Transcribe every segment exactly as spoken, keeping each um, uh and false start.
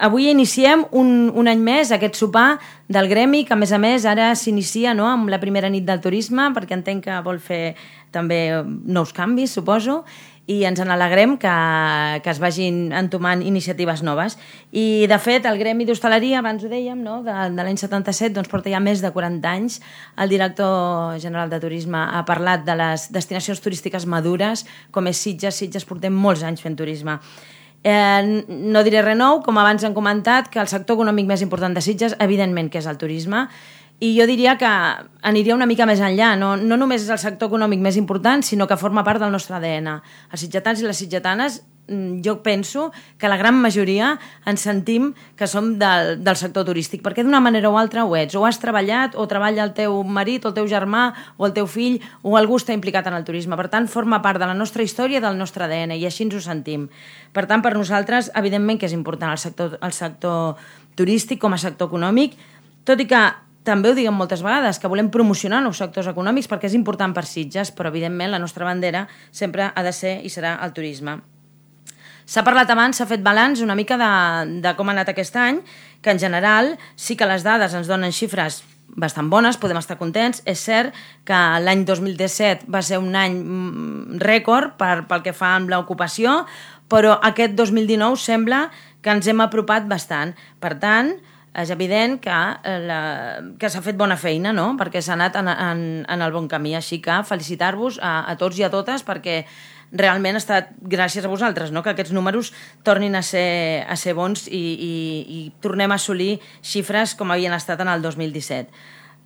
avui iniciem un, un any més aquest sopar del gremi, que a més a més ara s'inicia, no?, amb la primera nit del turisme, perquè entenc que vol fer també nous canvis, suposo, i ens n'alegrem que, que es vagin entomant iniciatives noves. I, de fet, el Gremi d'Hostaleria, abans ho dèiem, no?, de, de l'any setanta-set, doncs porta ja més de quaranta anys. El director general de Turisme ha parlat de les destinacions turístiques madures, com és Sitges. Sitges portem molts anys fent turisme. Eh, no diré res nou, com abans han comentat, que el sector econòmic més important de Sitges, evidentment que és el turisme, i jo diria que aniria una mica més enllà. No, no només és el sector econòmic més important, sinó que forma part del nostre A D N. Els sitgetans i les sitgetanes, jo penso que la gran majoria ens sentim que som del, del sector turístic, perquè d'una manera o altra ho ets. O has treballat, o treballa el teu marit, o el teu germà, o el teu fill, o algú està implicat en el turisme. Per tant, forma part de la nostra història i del nostre A D N, i així ens ho sentim. Per tant, per nosaltres, evidentment que és important el sector, el sector turístic com a sector econòmic, tot i que també ho diguem moltes vegades, que volem promocionar nous sectors econòmics perquè és important per Sitges, però evidentment la nostra bandera sempre ha de ser i serà el turisme. S'ha parlat abans, s'ha fet balanç una mica de, de com ha anat aquest any, que en general sí que les dades ens donen xifres bastant bones, podem estar contents. És cert que l'any dos mil disset va ser un any rècord per, pel que fa amb l'ocupació, però aquest dos mil dinou sembla que ens hem apropat bastant. Per tant, és evident que, la, que s'ha fet bona feina, no?, perquè s'ha anat en, en, en el bon camí. Així que felicitar-vos a, a tots i a totes, perquè realment ha estat gràcies a vosaltres, no?, que aquests números tornin a ser, a ser bons i, i, i tornem a assolir xifres com havien estat en el dos mil disset.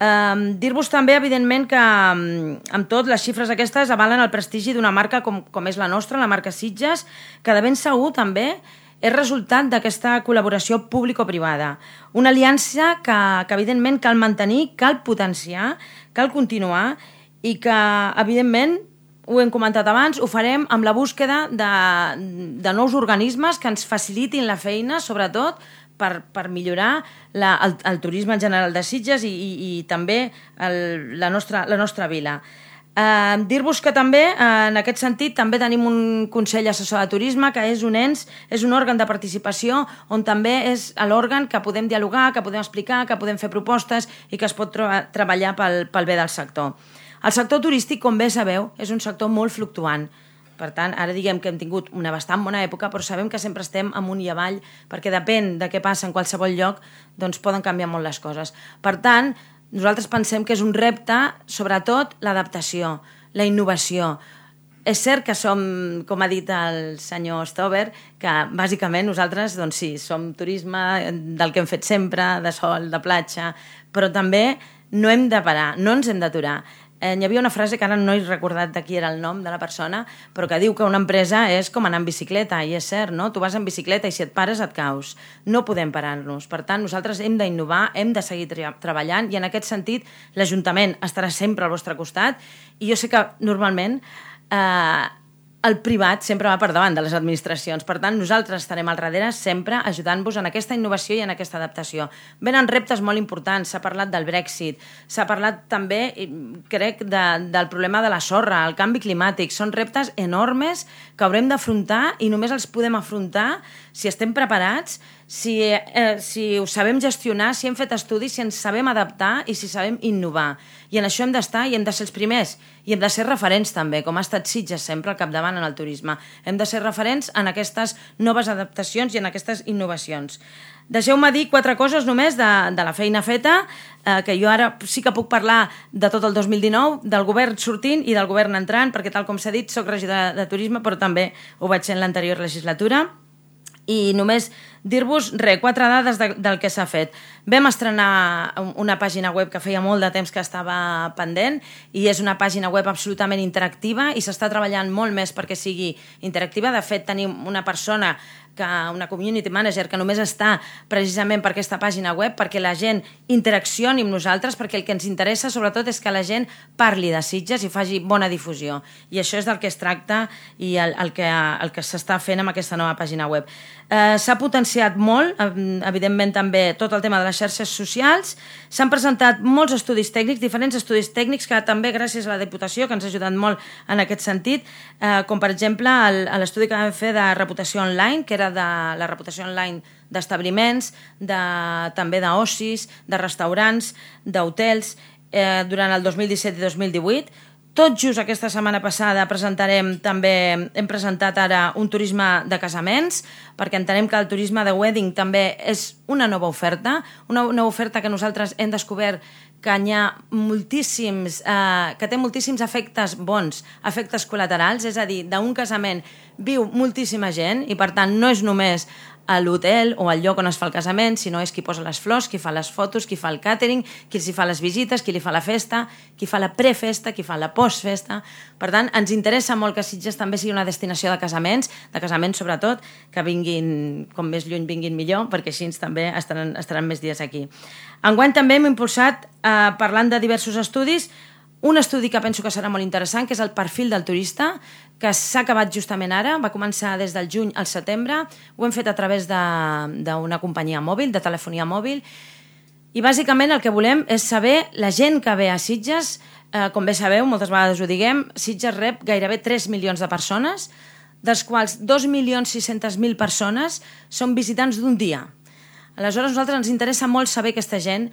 Um, dir-vos també, evidentment, que um, amb tot les xifres aquestes avalen el prestigi d'una marca com, com és la nostra, la marca Sitges, que de ben segur també és resultat d'aquesta col·laboració público-privada. Una aliança que, que evidentment cal mantenir, cal potenciar, cal continuar i que, evidentment, ho hem comentat abans, ho farem amb la búsqueda de, de nous organismes que ens facilitin la feina, sobretot per, per millorar la, el, el turisme en general de Sitges i, i, i també el, la, nostra, la nostra vila. Uh, dir-vos que també, uh, en aquest sentit, també tenim un Consell Assessor de Turisme, que és un ens, és un òrgan de participació on també és l'òrgan que podem dialogar, que podem explicar, que podem fer propostes i que es pot tra- treballar pel, pel bé del sector. El sector turístic, com bé sabeu, és un sector molt fluctuant. Per tant, ara diguem que hem tingut una bastant bona època, però sabem que sempre estem amunt i avall, perquè depèn de què passa en qualsevol lloc, doncs poden canviar molt les coses. Per tant, nosaltres pensem que és un repte, sobretot, l'adaptació, la innovació. És cert que som, com ha dit el senyor Stover, que bàsicament nosaltres, doncs sí, som turisme del que hem fet sempre, de sol, de platja, però també no hem de parar, no ens hem d'aturar. Eh, hi havia una frase que ara no he recordat de qui era el nom de la persona, però que diu que una empresa és com anar en bicicleta, i és cert, no? Tu vas en bicicleta i si et pares et caus. No podem parar-nos. Per tant, nosaltres hem d'innovar, hem de seguir tra- treballant i en aquest sentit l'Ajuntament estarà sempre al vostre costat i jo sé que normalment eh, el privat sempre va per davant de les administracions. Per tant, nosaltres estarem al darrere sempre ajudant-vos en aquesta innovació i en aquesta adaptació. Venen reptes molt importants, s'ha parlat del Brexit, s'ha parlat també, crec, de, del problema de la sorra, el canvi climàtic. Són reptes enormes que haurem d'afrontar i només els podem afrontar si estem preparats, si, eh, si ho sabem gestionar, si hem fet estudis, si ens sabem adaptar i si sabem innovar. I en això hem d'estar i hem de ser els primers. I hem de ser referents també, com ha estat Sitges sempre al capdavant en el turisme. Hem de ser referents en aquestes noves adaptacions i en aquestes innovacions. Deixeu-me dir quatre coses només de, de la feina feta, eh, que jo ara sí que puc parlar de tot el dos mil dinou, del govern sortint i del govern entrant, perquè tal com s'ha dit, soc regidora de turisme, però també ho vaig ser en l'anterior legislatura. I només dir-vos, res, quatre dades de, del que s'ha fet. Vam estrenar una pàgina web que feia molt de temps que estava pendent i és una pàgina web absolutament interactiva i s'està treballant molt més perquè sigui interactiva. De fet, tenim una persona, que una community manager, que només està precisament per aquesta pàgina web perquè la gent interaccioni amb nosaltres, perquè el que ens interessa sobretot és que la gent parli de Sitges i faci bona difusió. I això és del que es tracta i el, el que, el que s'està fent amb aquesta nova pàgina web. Eh, s'ha potenciat molt, evidentment també tot el tema de les xarxes socials, s'han presentat molts estudis tècnics, diferents estudis tècnics que també gràcies a la Diputació, que ens ha ajudat molt en aquest sentit, eh, com per exemple l'estudi que vam fer de reputació online, que era de la reputació online d'establiments, de, també d'ocis, de restaurants, d'hotels, eh, durant el dos mil disset i dos mil divuit. Tot just aquesta setmana passada presentarem també, hem presentat ara un turisme de casaments, perquè entenem que el turisme de wedding també és una nova oferta, una nova oferta que nosaltres hem descobert que hi ha moltíssims, eh, que té moltíssims efectes bons, efectes col·laterals, és a dir, d'un casament viu moltíssima gent i per tant no és només a l'hotel o al lloc on es fa el casament, sinó és qui posa les flors, qui fa les fotos, qui fa el càtering, qui s'hi fa les visites, qui li fa la festa, qui fa la prefesta, qui fa la postfesta. Per tant, ens interessa molt que Sitges també sigui una destinació de casaments, de casaments sobretot, que vinguin, com més lluny vinguin millor, perquè així també estaran, estaran més dies aquí. Enguany també hem impulsat, eh, parlant de diversos estudis, un estudi que penso que serà molt interessant, que és el perfil del turista, que s'ha acabat justament ara, va començar des del juny al setembre, ho hem fet a través d'una companyia mòbil, de telefonia mòbil, i bàsicament el que volem és saber la gent que ve a Sitges, eh, com bé sabeu, moltes vegades ho diguem, Sitges rep gairebé tres milions de persones, dels quals dos milions sis-centes mil persones són visitants d'un dia. Aleshores, a nosaltres ens interessa molt saber aquesta gent,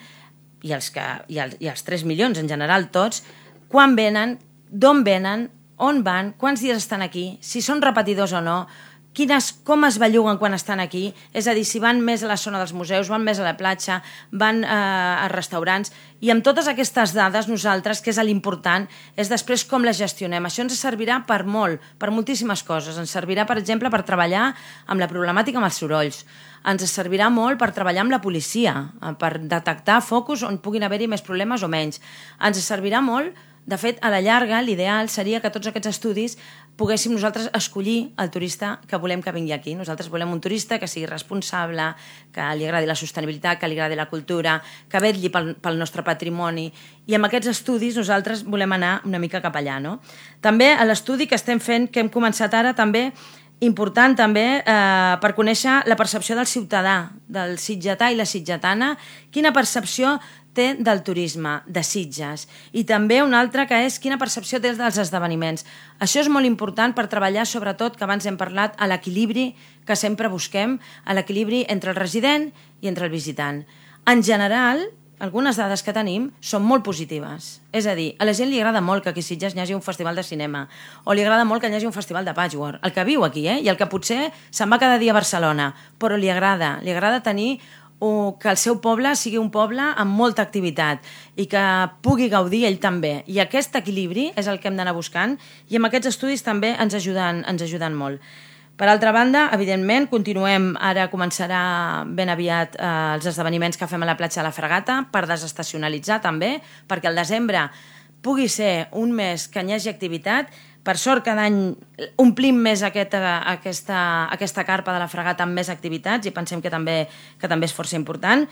i els, que, i, el, i els tres milions en general tots, quan venen, d'on venen, on van, quants dies estan aquí, si són repetidors o no, quines, com es belluguen quan estan aquí, és a dir, si van més a la zona dels museus, van més a la platja, van eh, a restaurants, i amb totes aquestes dades nosaltres, que és l'important, és després com les gestionem. Això ens servirà per molt, per moltíssimes coses. Ens servirà, per exemple, per treballar amb la problemàtica amb els sorolls. Ens servirà molt per treballar amb la policia, per detectar focus on puguin haver-hi més problemes o menys. Ens servirà molt. De fet, a la llarga, l'ideal seria que tots aquests estudis poguéssim nosaltres escollir el turista que volem que vingui aquí. Nosaltres volem un turista que sigui responsable, que li agradi la sostenibilitat, que li agradi la cultura, que vetlli pel, pel nostre patrimoni. I amb aquests estudis nosaltres volem anar una mica cap allà, no? També a l'estudi que estem fent, que hem començat ara, també important també eh, per conèixer la percepció del ciutadà, del sitgetà i la sitgetana, quina percepció té del turisme, de Sitges, i també una altra que és quina percepció té dels esdeveniments. Això és molt important per treballar, sobretot, que abans hem parlat, a l'equilibri que sempre busquem, a l'equilibri entre el resident i entre el visitant. En general, algunes dades que tenim són molt positives. És a dir, a la gent li agrada molt que aquí a Sitges hi hagi un festival de cinema, o li agrada molt que hi hagi un festival de patchwork, el que viu aquí, eh? I el que potser se'n va cada dia a Barcelona, però li agrada, li agrada tenir o que el seu poble sigui un poble amb molta activitat i que pugui gaudir ell també. I aquest equilibri és el que hem d'anar buscant i amb aquests estudis també ens ajuden, ens ajuden molt. Per altra banda, evidentment, continuem, ara començarà ben aviat eh, els esdeveniments que fem a la platja de la Fragata per desestacionalitzar també, perquè el desembre pugui ser un mes que hi hagi activitat. Per sort, cada any omplim més aquesta, aquesta, aquesta carpa de la Fragata amb més activitats i pensem que també, que també és força important.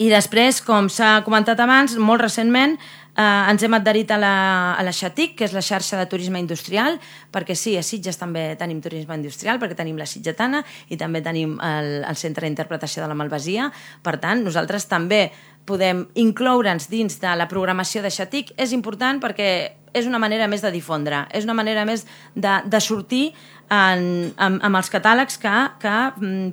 I després, com s'ha comentat abans, molt recentment eh, ens hem adherit a la, a la Xatic, que és la xarxa de turisme industrial, perquè sí, a Sitges també tenim turisme industrial, perquè tenim la Sitgetana i també tenim el, el Centre d'Interpretació de la Malvasia. Per tant, nosaltres també podem incloure'ns dins de la programació de Xatic. És important perquè és una manera més de difondre, és una manera més de, de sortir en, amb, amb els catàlegs que, que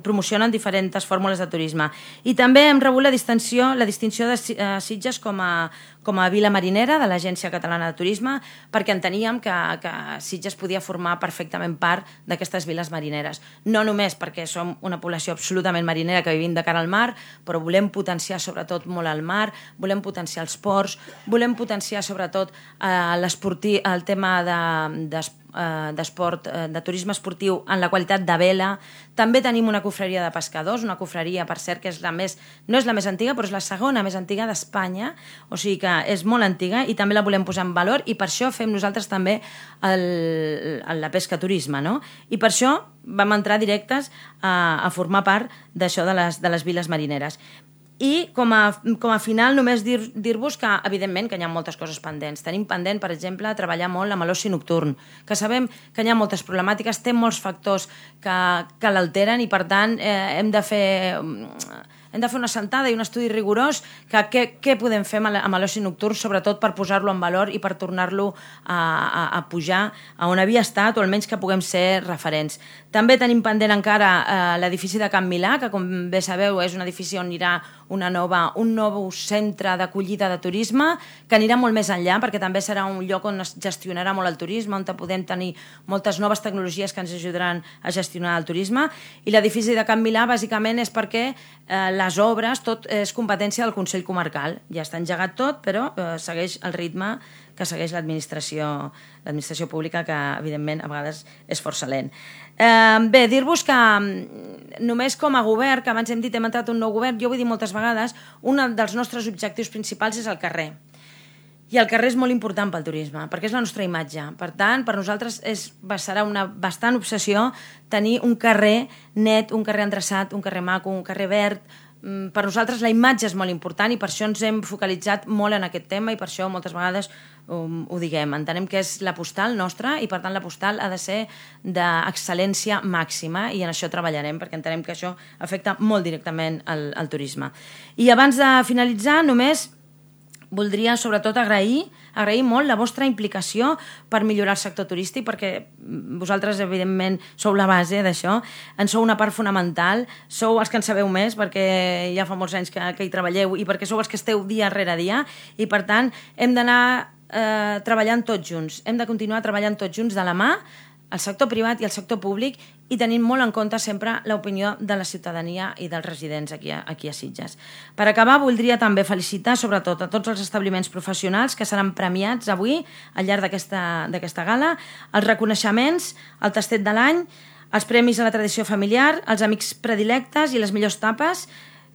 promocionen diferents fórmules de turisme. I també hem rebut la distinció, la distinció de Sitges com a, com a vila marinera de l'Agència Catalana de Turisme, perquè enteníem que, que Sitges podia formar perfectament part d'aquestes viles marineres. No només perquè som una població absolutament marinera que vivim de cara al mar, però volem potenciar sobretot molt el mar, volem potenciar els ports, volem potenciar sobretot eh, l'esportiu, el tema de, de, d'esport, de turisme esportiu en la qualitat de vela. També tenim una cofreria de pescadors, una cofreria, per cert, que és la més, no és la més antiga, però és la segona més antiga d'Espanya, o sigui que és molt antiga i també la volem posar en valor i per això fem nosaltres també el, el, la pesca turisme, no? I per això vam entrar directes a, a formar part d'això de les, de les viles marineres. I com a, com a final només dir, dir-vos que evidentment que hi ha moltes coses pendents. Tenim pendent, per exemple, treballar molt amb l'oci nocturn, que sabem que hi ha moltes problemàtiques, té molts factors que, que l'alteren i per tant eh, hem de fer hem de fer una sentada i un estudi rigorós que què, què podem fer amb l'oci nocturn, sobretot per posar-lo en valor i per tornar-lo a, a, a pujar a on havia estat, o almenys que puguem ser referents. També tenim pendent encara eh, l'edifici de Can Milà, que com bé sabeu és un edifici on anirà una nova, un nou centre d'acollida de turisme, que anirà molt més enllà, perquè també serà un lloc on es gestionarà molt el turisme, on podem tenir moltes noves tecnologies que ens ajudaran a gestionar el turisme. I l'edifici de Can Milà bàsicament és perquè eh, les obres, tot és competència del Consell Comarcal. Ja està engegat tot, però eh, segueix el ritme que segueix l'administració l'administració pública, que evidentment a vegades és força lent. Eh, bé, dir-vos que només com a govern, que abans hem dit hem entrat un nou govern, jo vull dir moltes vegades, un dels nostres objectius principals és el carrer. I el carrer és molt important pel turisme, perquè és la nostra imatge. Per tant, per nosaltres és, serà una bastant obsessió tenir un carrer net, un carrer endreçat, un carrer maco, un carrer verd. Per nosaltres la imatge és molt important i per això ens hem focalitzat molt en aquest tema i per això moltes vegades um, ho diguem. Entenem que és la postal nostra i per tant la postal ha de ser d'excel·lència màxima i en això treballarem perquè entenem que això afecta molt directament al, al turisme. I abans de finalitzar només voldria sobretot agrair, agrair molt la vostra implicació per millorar el sector turístic, perquè vosaltres, evidentment, sou la base d'això, en sou una part fonamental, sou els que en sabeu més, perquè ja fa molts anys que, que hi treballeu i perquè sou els que esteu dia rere dia, i per tant hem d'anar eh, treballant tots junts, hem de continuar treballant tots junts de la mà, el sector privat i el sector públic, i tenint molt en compte sempre l'opinió de la ciutadania i dels residents aquí a, aquí a Sitges. Per acabar, voldria també felicitar sobretot a tots els establiments professionals que seran premiats avui al llarg d'aquesta gala, els reconeixements, el tastet de l'any, els premis a la tradició familiar, els amics predilectes i les millors tapes,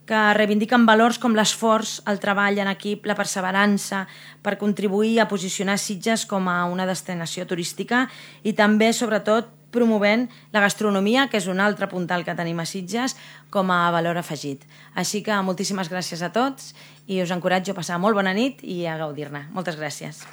que reivindiquen valors com l'esforç, el treball en equip, la perseverança per contribuir a posicionar Sitges com a una destinació turística i també, sobretot, promovent la gastronomia, que és un altre puntal que tenim a Sitges, com a valor afegit. Així que moltíssimes gràcies a tots i us encoratjo a passar molt bona nit i a gaudir-ne. Moltes gràcies.